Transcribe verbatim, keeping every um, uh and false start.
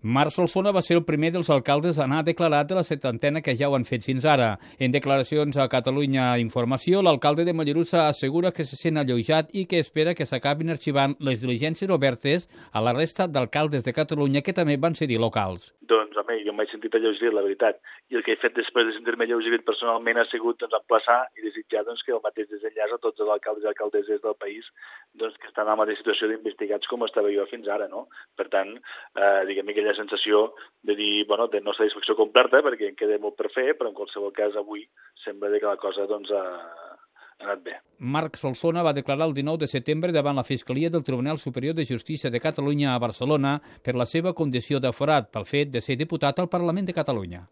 Marc Solsona va ser el primer dels alcaldes a anar declarat de la setantena que ja ho han fet fins ara. En declaracions a Catalunya Informació, l'alcalde de Mollerussa assegura que se sent alleujat i que espera que s'acabin arxivant les diligències obertes a la resta d'alcaldes de Catalunya que també van ser locals. Doncs, home, jo m'he sentit alleugerit, la veritat. I el que he fet després de sentir-me alleugerit personalment ha sigut doncs, emplaçar i desitjar doncs, que el mateix desenllaç a tots els alcaldes i alcaldesses del país doncs, que estan en la mateixa situació d'investigats com estava jo fins ara, no? Per tant, eh, diguem aquella sensació de dir, bueno, de no satisfacció completa, perquè en queda molt per fer, però en qualsevol cas avui sembla que la cosa doncs, ha, ha anat bé. Marc Solsona va declarar el dinou de setembre davant la Fiscalia del Tribunal Superior de Justícia de Catalunya a Barcelona per la seva condició d'aforat pel fet de ser diputat al Parlament de Catalunya.